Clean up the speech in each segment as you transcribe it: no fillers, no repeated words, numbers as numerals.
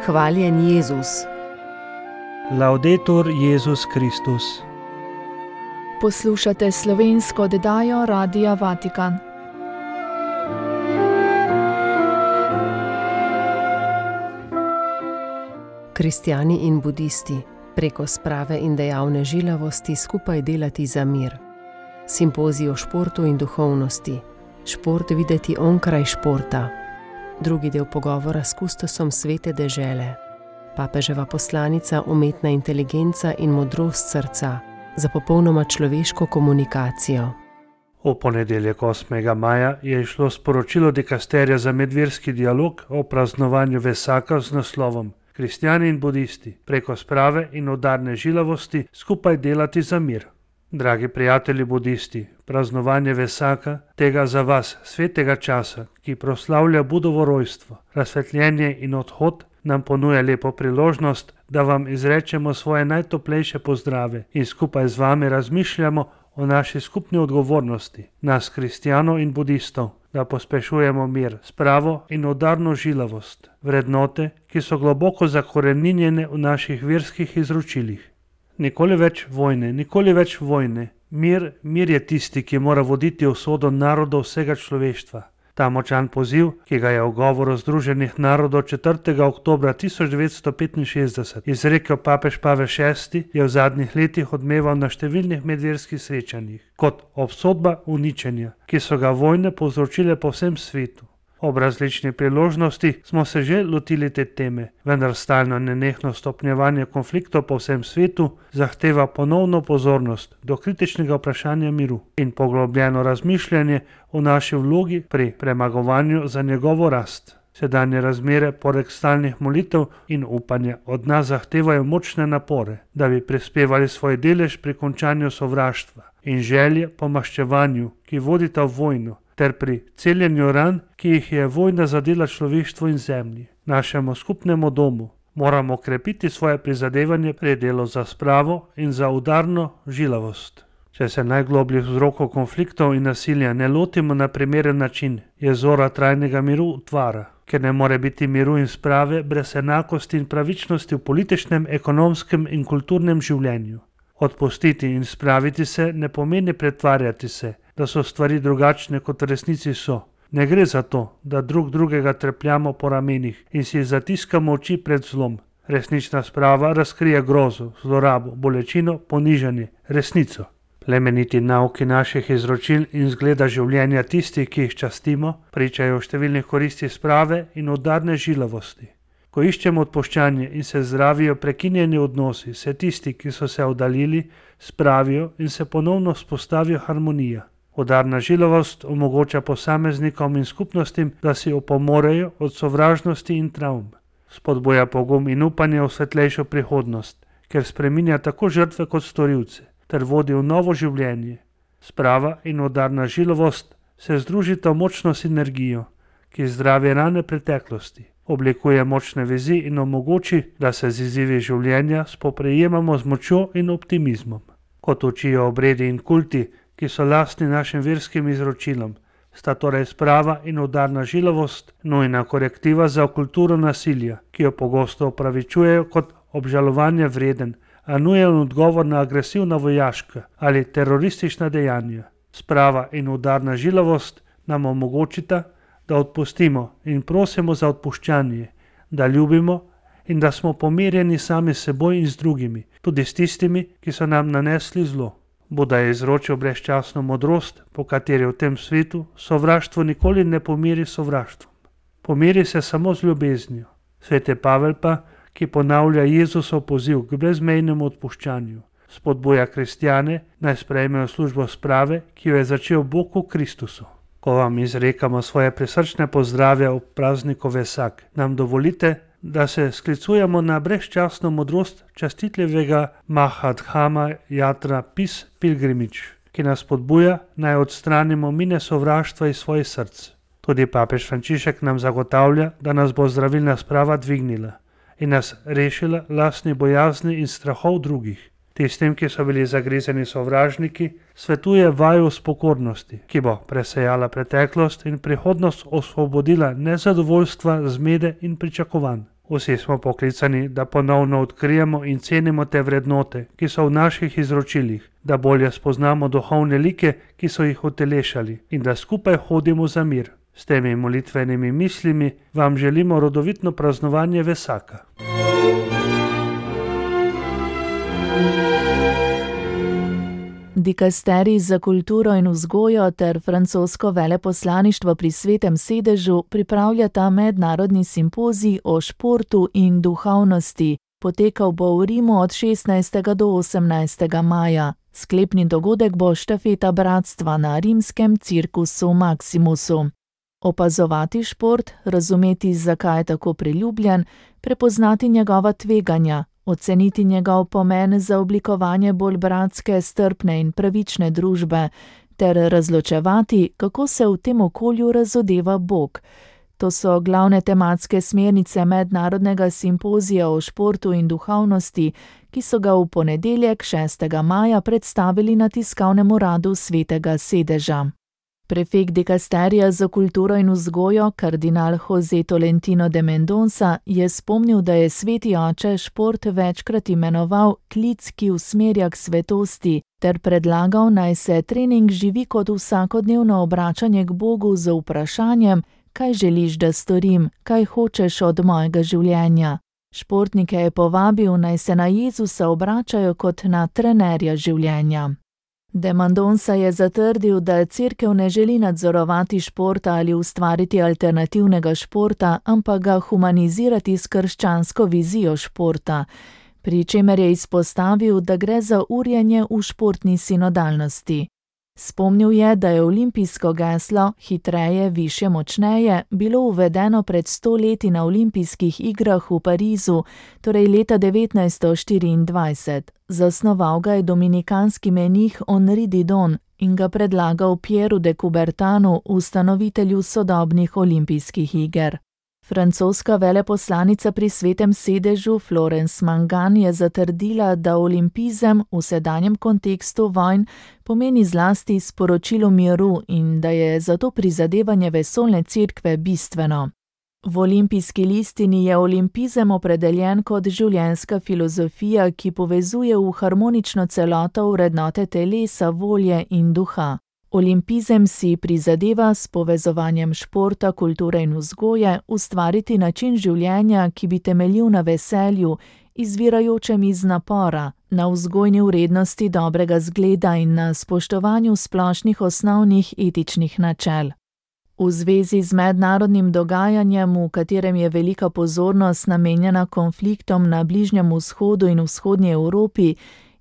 Hvaljen Jezus. Laudetur Jezus Kristus. Poslušate slovensko oddajo Radia Vatikan. Kristjani in budisti, preko sprave in dejavne žilavosti skupaj delati za mir. Simpozij o športu in duhovnosti. Šport videti onkraj športa. Drugi del pogovora s kustosom svete dežele. Papeževa poslanica umetna inteligenca in modrost srca za popolnoma človeško komunikacijo. V ponedeljek 8. maja je išlo sporočilo dikasterija za medverski dialog o praznovanju Vesaka z naslovom Kristjani in budisti, preko sprave in udarne žilavosti skupaj delati za mir. Dragi prijatelji budisti, praznovanje Vesaka, tega za vas svetega časa, ki proslavlja Budovo rojstvo, razsvetljenje in odhod, nam ponuja lepo priložnost, da vam izrečemo svoje najtoplejše pozdrave in skupaj z vami razmišljamo o naši skupni odgovornosti, nas kristjanov in budistov, da pospešujemo mir, spravo in udarno žilavost, vrednote, ki so globoko zakoreninjene v naših verskih izročilih. Nikoli več vojne, nikoli več vojne. Mir je tisti, ki mora voditi usodo narodov vsega človeštva. Ta močan poziv, ki ga je v govoru Združenih narodov 4. oktobra 1965 izrekel papež Pavel VI, je v zadnjih letih odmeval na številnih medverskih srečanjih kot obsodba uničenja, ki so ga vojne povzročile po vsem svetu. Ob različnih priložnosti smo se že lotili te teme, vendar stalno nenehno stopnjevanje konfliktov po vsem svetu zahteva ponovno pozornost do kritičnega vprašanja miru in poglobljeno razmišljanje o naši vlogi pri premagovanju za njegovo rast. Sedanje razmere poleg stalnih molitev in upanja od nas zahtevajo močne napore, da bi prispevali svoj delež pri končanju sovraštva in želje po maščevanju, ki vodita v vojno, ter pri celjenju ran, ki jih je vojna zadela človeštvu in zemlji, našemu skupnemu domu. Moramo krepiti svoje prizadevanje pri delu za spravo in za udarno žilavost. Če se najglobljih vzrokov konfliktov in nasilja ne lotimo na primeren način, je zora trajnega miru utvara, ker ne more biti miru in sprave brez enakosti in pravičnosti v političnem, ekonomskem in kulturnem življenju. Odpustiti in spraviti se ne pomeni pretvarjati se, da so stvari drugačne, kot v resnici so. Ne gre za to, da drugega trepljamo po ramenih in si zatiskamo oči pred zlom. Resnična sprava razkrije grozo, zlorabo, bolečino, ponižanje, resnico. Plemeniti nauki naših izročil in zgleda življenja tistih, ki jih častimo, pričajo o številnih koristih sprave in udarne žilavosti. Ko iščemo odpuščanje in se zdravijo prekinjeni odnosi, se tisti, ki so se oddaljili, spravijo in se ponovno vzpostavijo harmonija. Udarna žilavost omogoča posameznikom in skupnostim, da si opomorejo od sovražnosti in travm. Spodbuja pogum in upanje v svetlejšo prihodnost, ker spreminja tako žrtve kot storilce, ter vodi v novo življenje. Sprava in udarna žilavost se združita v močno sinergijo, ki zdravi rane preteklosti, oblikuje močne vezi in omogoči, da se z izzivi življenja spoprijemamo z močjo in optimizmom. Kot učijo obredi in kulti, ki so lastni našim verskim izročilom, sta torej sprava in udarna žilavost nujna korektiva za kulturo nasilja, ki jo pogosto opravičujejo kot obžalovanja vreden, a nujen odgovor na agresivna vojaška ali teroristična dejanja. Sprava in udarna žilavost nam omogočita, da odpustimo in prosimo za odpuščanje, da ljubimo in da smo pomirjeni sami s seboj in z drugimi, tudi s tistimi, ki so nam nanesli zlo. Buda je izročil brezčasno modrost, po kateri v tem svetu sovraštvo nikoli ne pomiri sovraštvom. Pomiri se samo z ljubeznijo. Sveti Pavel pa, ki ponavlja Jezusov poziv k brezmejnemu odpuščanju, spodbuja kristjane, naj sprejmejo službo sprave, ki jo je začel Bog v Kristusu. Ko vam izrekamo svoje prisrčne pozdrave ob prazniku Vesak, nam dovolite, da se sklicujemo na brezčasno modrost častitljivega Mahadhama Jatra Pis Pilgrimič, ki nas spodbuja, naj odstranimo mine sovraštva iz svojih src. Tudi papež Frančišek nam zagotavlja, da nas bo zdravilna sprava dvignila in nas rešila lastni bojazni in strahov drugih. Tistim, ki so bili zagrizeni sovražniki, svetuje vaju spokornosti, ki bo presejala preteklost in prihodnost osvobodila nezadovoljstva, zmede in pričakovanj. Vsi smo poklicani, da ponovno odkrijemo in cenimo te vrednote, ki so v naših izročilih, da bolje spoznamo duhovne like, ki so jih utelešali, in da skupaj hodimo za mir. S temi molitvenimi mislimi vam želimo rodovitno praznovanje Vesaka. Dikasterij za kulturo in vzgojo ter francosko veleposlaništvo pri Svetem sedežu pripravljata mednarodni simpozij o športu in duhovnosti. Potekal bo v Rimu od 16. do 18. maja. Sklepni dogodek bo štafeta bratstva na rimskem Circusu Maximusu. Opazovati šport, razumeti, zakaj je tako priljubljen, prepoznati njegova tveganja, oceniti njegov pomen za oblikovanje bolj bratske, strpne in pravične družbe, ter razločevati, kako se v tem okolju razodeva Bog. To so glavne tematske smernice mednarodnega simpozija o športu in duhovnosti, ki so ga v ponedeljek 6. maja predstavili na tiskovnem uradu Svetega sedeža. Prefekt dikasterija za kulturo in vzgojo, kardinal José Tolentino de Mendonça, je spomnil, da je Sveti oče šport večkrat imenoval klic, ki usmerja k svetosti, ter predlagal, naj se trening živi kot vsakodnevno obračanje k Bogu z vprašanjem, kaj želiš, da storim, kaj hočeš od mojega življenja. Športnike je povabil, naj se na Jezusa obračajo kot na trenerja življenja. De Mendonça je zatrdil, da cerkev ne želi nadzorovati športa ali ustvariti alternativnega športa, ampak ga humanizirati s krščansko vizijo športa, pri čemer je izpostavil, da gre za urjenje v športni sinodalnosti. Spomnil je, da je olimpijsko geslo hitreje, višje, močneje bilo uvedeno pred 100 leti na olimpijskih igrah v Parizu, torej leta 1924. Zasnoval ga je dominikanski menih Henri Didon in ga predlagal Pieru de Coubertinu, ustanovitelju sodobnih olimpijskih iger. Francoska veleposlanica pri Svetem sedežu Florence Mangan je zatrdila, da olimpizem v sedanjem kontekstu vojn pomeni zlasti sporočilo miru in da je zato prizadevanje vesoljne cerkve bistveno. V olimpijski listini je olimpizem opredeljen kot življenjska filozofija, ki povezuje v harmonično celoto vrednote telesa, volje in duha. Olimpizem si prizadeva s povezovanjem športa, kulture in vzgoje ustvariti način življenja, ki bi temeljil na veselju, izvirajočem iz napora, na vzgojni vrednosti dobrega zgleda in na spoštovanju splošnih osnovnih etičnih načel. V zvezi z mednarodnim dogajanjem, v katerem je velika pozornost namenjena konfliktom na Bližnjem vzhodu in vzhodnji Evropi,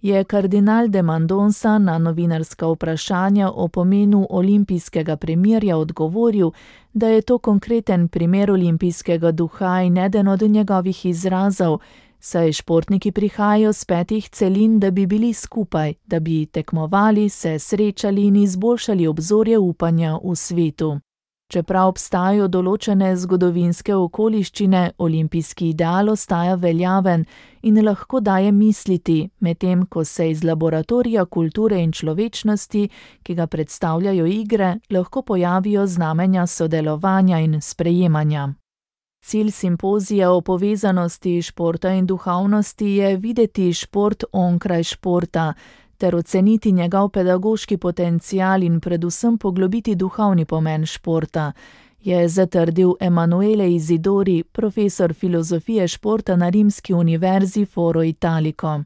je kardinal de Mendonça na novinarska vprašanja o pomenu olimpijskega premirja odgovoril, da je to konkreten primer olimpijskega duha in eden od njegovih izrazov, saj športniki prihajajo z 5 celin, da bi bili skupaj, da bi tekmovali, se srečali in izboljšali obzorje upanja v svetu. Čeprav obstajajo določene zgodovinske okoliščine, olimpijski ideal ostaja veljaven in lahko daje misliti, medtem ko se iz laboratorija kulture in človečnosti, ki ga predstavljajo igre, lahko pojavijo znamenja sodelovanja in sprejemanja. Cilj simpozija o povezanosti športa in duhovnosti je videti šport onkraj športa, ter oceniti njegov pedagoški potencial in predvsem poglobiti duhovni pomen športa, je zatrdil Emanuele Isidori, profesor filozofije športa na Rimski univerzi Foro Italico.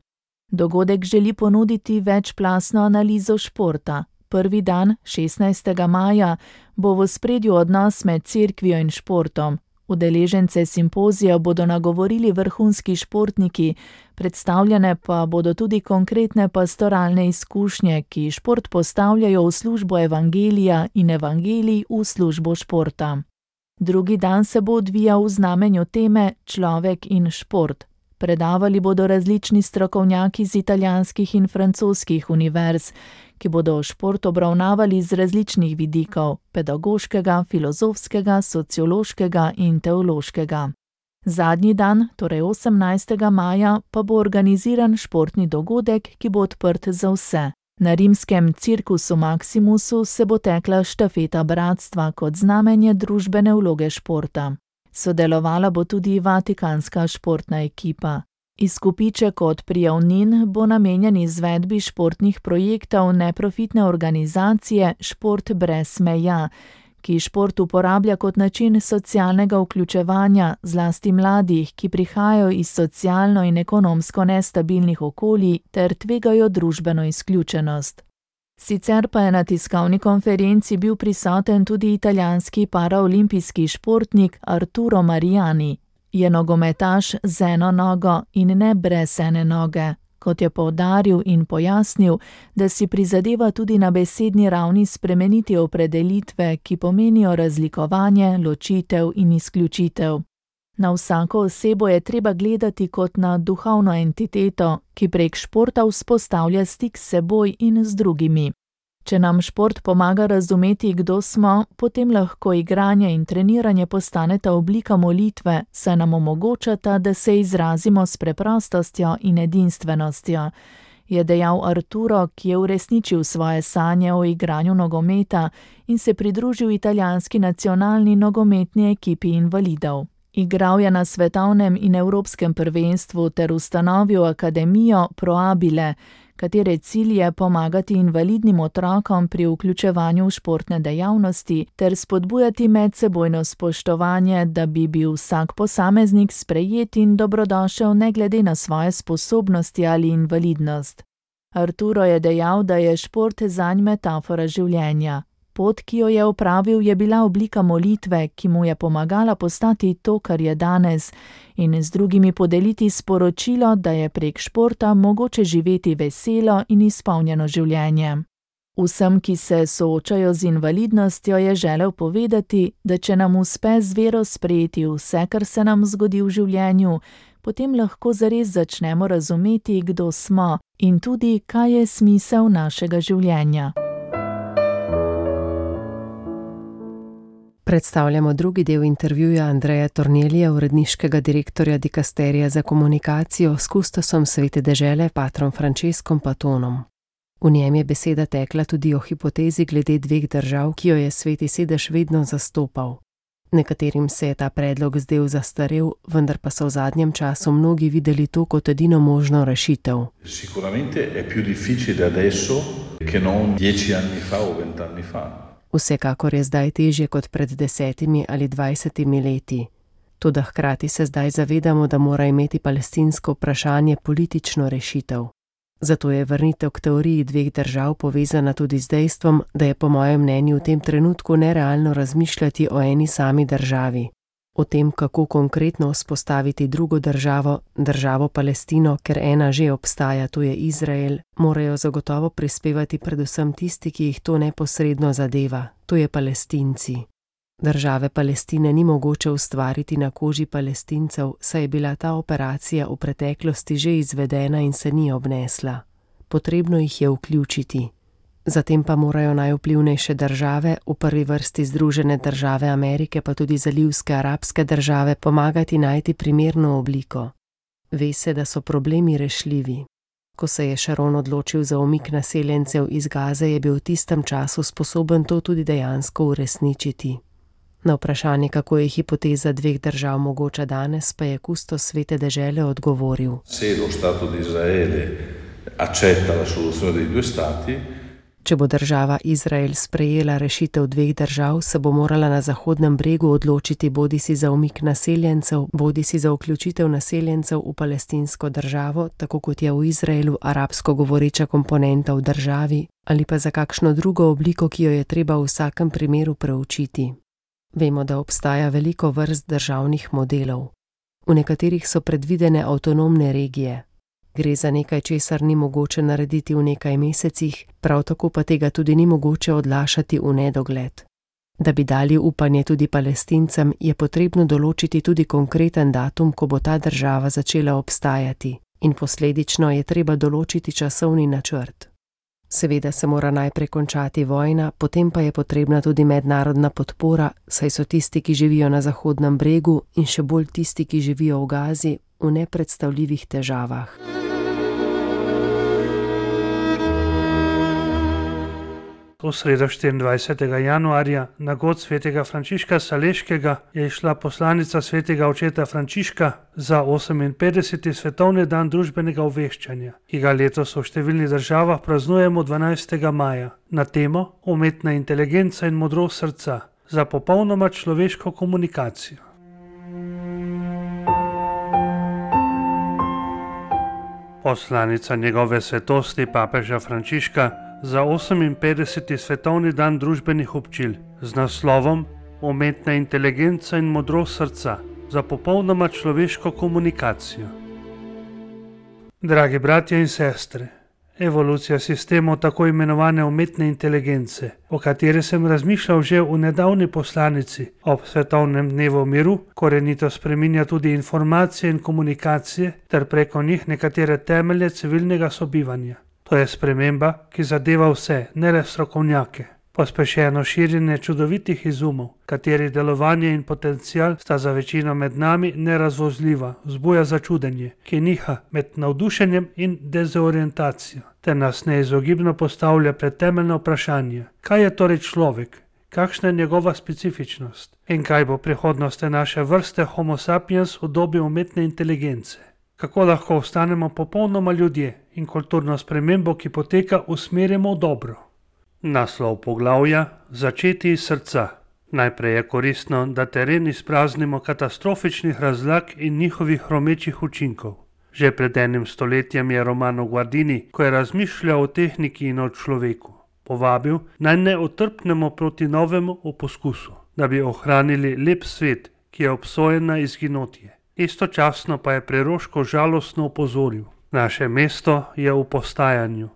Dogodek želi ponuditi večplastno analizo športa. Prvi dan, 16. maja, bo v ospredju odnos med cerkvijo in športom. Udeležence simpozija bodo nagovorili vrhunski športniki, predstavljene pa bodo tudi konkretne pastoralne izkušnje, ki šport postavljajo v službo evangelija in evangelij v službo športa. Drugi dan se bo odvijal v znamenju teme Človek in šport. Predavali bodo različni strokovnjaki z italijanskih in francoskih univerz, ki bodo šport obravnavali z različnih vidikov, pedagoškega, filozofskega, sociološkega in teološkega. Zadnji dan, torej 18. maja, pa bo organiziran športni dogodek, ki bo odprt za vse. Na rimskem Circusu Maximusu se bo tekla štafeta bratstva kot znamenje družbene vloge športa. Sodelovala bo tudi vatikanska športna ekipa. Izkupiček od prijavnin bo namenjen izvedbi športnih projektov neprofitne organizacije Šport brez meja, ki šport uporablja kot način socialnega vključevanja, zlasti mladih, ki prihajajo iz socialno in ekonomsko nestabilnih okolij ter tvegajo družbeno izključenost. Sicer pa je na tiskovni konferenci bil prisoten tudi italijanski paraolimpijski športnik Arturo Mariani. Je nogometaš z eno nogo in ne brez ene noge, kot je poudaril in pojasnil, da si prizadeva tudi na besedni ravni spremeniti opredelitve, ki pomenijo razlikovanje, ločitev in izključitev. Na vsako osebo je treba gledati kot na duhovno entiteto, ki prek športa vzpostavlja stik s seboj in z drugimi. Če nam šport pomaga razumeti, kdo smo, potem lahko igranje in treniranje postaneta oblika molitve, saj nam omogočata, da se izrazimo s preprostostjo in edinstvenostjo, je dejal Arturo, ki je uresničil svoje sanje o igranju nogometa in se pridružil italijanski nacionalni nogometni ekipi invalidov. Igral je na svetovnem in evropskem prvenstvu ter ustanovil akademijo Proabile, katere cilj je pomagati invalidnim otrokom pri vključevanju v športne dejavnosti ter spodbujati medsebojno spoštovanje, da bi bil vsak posameznik sprejet in dobrodošel ne glede na svoje sposobnosti ali invalidnost. Arturo je dejal, da je šport zanj metafora življenja. Pot, ki jo je opravil, je bila oblika molitve, ki mu je pomagala postati to, kar je danes, in z drugimi podeliti sporočilo, da je prek športa mogoče živeti veselo in izpolnjeno življenje. Vsem, ki se soočajo z invalidnostjo, je želel povedati, da če nam uspe z vero sprejeti vse, kar se nam zgodi v življenju, potem lahko zares začnemo razumeti, kdo smo in tudi, kaj je smisel našega življenja. Predstavljamo drugi del intervjuja Andreja Tornelija, uredniškega direktorja dikasterija za komunikacijo s kustosom Svete dežele, patrom Franceskom Patonom. V njem je beseda tekla tudi o hipotezi glede dveh držav, ki jo je Sveti sedež vedno zastopal. Nekaterim se je ta predlog zdel zastarel, vendar pa so v zadnjem času mnogi videli to kot edino možno rešitev. Sicuramente è più difficile adesso che non 10 anni fa o 20 anni fa. Vsekakor je zdaj težje kot pred 10 ali 20 leti. Toda hkrati se zdaj zavedamo, da mora imeti palestinsko vprašanje politično rešitev. Zato je vrnitev k teoriji dveh držav povezana tudi z dejstvom, da je po mojem mnenju v tem trenutku nerealno razmišljati o eni sami državi. O tem, kako konkretno vzpostaviti drugo državo, državo Palestino, ker ena že obstaja, to je Izrael, morajo zagotovo prispevati predvsem tisti, ki jih to neposredno zadeva, to je Palestinci. Države Palestine ni mogoče ustvariti na koži Palestincev, saj je bila ta operacija v preteklosti že izvedena in se ni obnesla. Potrebno jih je vključiti. Zatem pa morajo najvplivnejše države, v prvi vrsti Združene države Amerike, pa tudi zalivske arabske države, pomagati najti primerno obliko. Ve se, da so problemi rešljivi. Ko se je Sharon odločil za umik naseljencev iz Gaze, je bil v tistem času sposoben to tudi dejansko uresničiti. Na vprašanje, kako je hipoteza dveh držav mogoča danes, pa je kustos Svete dežele odgovoril. Se lo Stato di Israele accetta la soluzione dei due stati, če bo država Izrael sprejela rešitev dveh držav, se bo morala na Zahodnem bregu odločiti bodisi za umik naseljencev, bodisi za vključitev naseljencev v palestinsko državo, tako kot je v Izraelu arabsko govoreča komponenta v državi, ali pa za kakšno drugo obliko, ki jo je treba v vsakem primeru preučiti. Vemo, da obstaja veliko vrst državnih modelov. V nekaterih so predvidene avtonomne regije. Gre za nekaj, česar ni mogoče narediti v nekaj mesecih, prav tako pa tega tudi ni mogoče odlašati v nedogled. Da bi dali upanje tudi Palestincem, je potrebno določiti tudi konkreten datum, ko bo ta država začela obstajati, in posledično je treba določiti časovni načrt. Seveda se mora najprej končati vojna, potem pa je potrebna tudi mednarodna podpora, saj so tisti, ki živijo na Zahodnem bregu, in še bolj tisti, ki živijo v Gazi, v nepredstavljivih težavah. V sredo 24. januarja na god svetega Frančiška Saleškega je išla poslanica svetega očeta Frančiška za 58. svetovni dan družbenega obveščanja, ki ga letos v številnih državah praznujemo 12. maja, na temo umetna inteligenca in modrost srca za popolnoma človeško komunikacijo. Poslanica njegove svetosti papeža Frančiška za 58. svetovni dan družbenih občil z naslovom Umetna inteligenca in modrost srca za popolnoma človeško komunikacijo. Dragi bratje in sestre, evolucija sistemov tako imenovane umetne inteligence, o kateri sem razmišljal že v nedavni poslanici ob svetovnem dnevu miru, korenito spreminja tudi informacije in komunikacije ter preko njih nekatere temelje civilnega sobivanja. To je sprememba, ki zadeva vse, ne le strokovnjake. Pospešeno širjenje čudovitih izumov, katerih delovanje in potencial sta za večino med nami nerazvozljiva, vzbuja začudenje, ki niha med navdušenjem in dezorientacijo, ter nas neizogibno postavlja pred temeljno vprašanje, kaj je torej človek, kakšna je njegova specifičnost in kaj bo prihodnost naše vrste Homo sapiens v dobi umetne inteligence. Kako lahko ostanemo popolnoma ljudje in kulturno spremembo, ki poteka, usmerjamo v dobro. Naslov poglavja: Začeti iz srca. Najprej je koristno, da teren izpraznimo katastrofičnih razlag in njihovih hromečih učinkov. Že pred enim stoletjem je Romano Guardini, ko je razmišljal o tehniki in o človeku, povabil, naj ne otrpnemo proti novemu v poskusu, da bi ohranili lep svet, ki je obsojen na izginotje. Istočasno pa je preroško žalostno opozoril: naše mesto je v postajanju.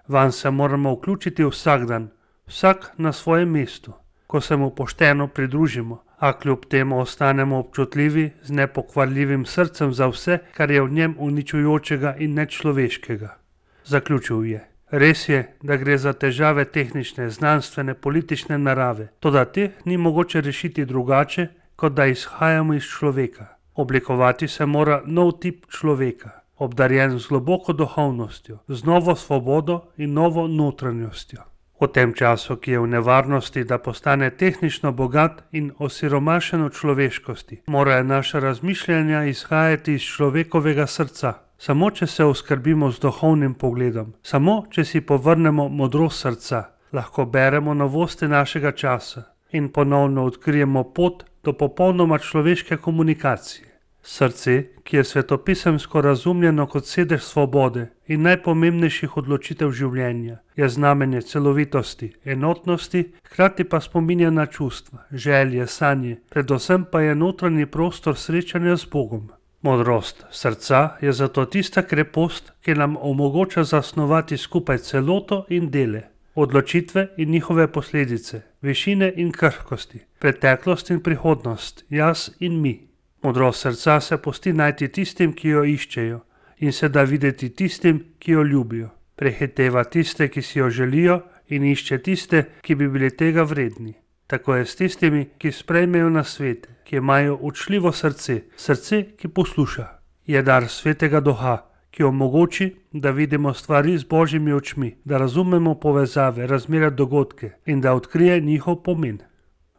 Vanj se moramo vključiti vsak dan, vsak na svojem mestu, ko se mu pošteno pridružimo, a kljub temu ostanemo občutljivi z nepokvarljivim srcem za vse, kar je v njem uničujočega in nečloveškega. Zaključil je: res je, da gre za težave tehnične, znanstvene, politične narave, toda teh ni mogoče rešiti drugače, kot da izhajamo iz človeka. Oblikovati se mora nov tip človeka, obdarjen z globoko duhovnostjo, z novo svobodo in novo notranjostjo. V tem času, ki je v nevarnosti, da postane tehnično bogat in osiromašen v človeškosti, morajo naša razmišljanja izhajati iz človekovega srca. Samo če se oskrbimo z duhovnim pogledom, samo če si povrnemo modrost srca, lahko beremo novosti našega časa in ponovno odkrijemo pot do popolnoma človeške komunikacije. Srce, ki je svetopisemsko razumljeno kot sedež svobode in najpomembnejših odločitev življenja, je znamenje celovitosti, enotnosti, hkrati pa spominja na čustva, želje, sanje, predvsem pa je notranji prostor srečanja z Bogom. Modrost srca je zato tista krepost, ki nam omogoča zasnovati skupaj celoto in dele, odločitve in njihove posledice, višine in krhkosti, preteklost in prihodnost, jaz in mi. Modrost srca se pusti najti tistim, ki jo iščejo, in se da videti tistim, ki jo ljubijo. Prehiteva tiste, ki si jo želijo, in išče tiste, ki bi bili tega vredni. Tako je s tistimi, ki sprejmejo nasvete, ki imajo učljivo srce, srce, ki posluša. Je dar svetega duha, ki omogoči, da vidimo stvari z božjimi očmi, da razumemo povezave, razmere, dogodke in da odkrije njihov pomen.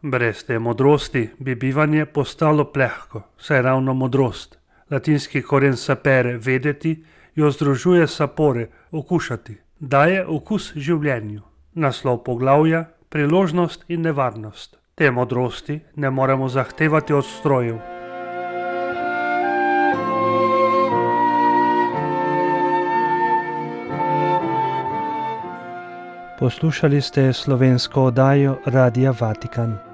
Brez te modrosti bi bivanje postalo plehko, saj ravno modrost, latinski koren sapere, vedeti, jo združuje sapore, okušati, daje okus življenju. Naslov poglavja: Priložnost in nevarnost. Te modrosti ne moremo zahtevati od strojev. Poslušali ste slovensko oddajo Radia Vatikan.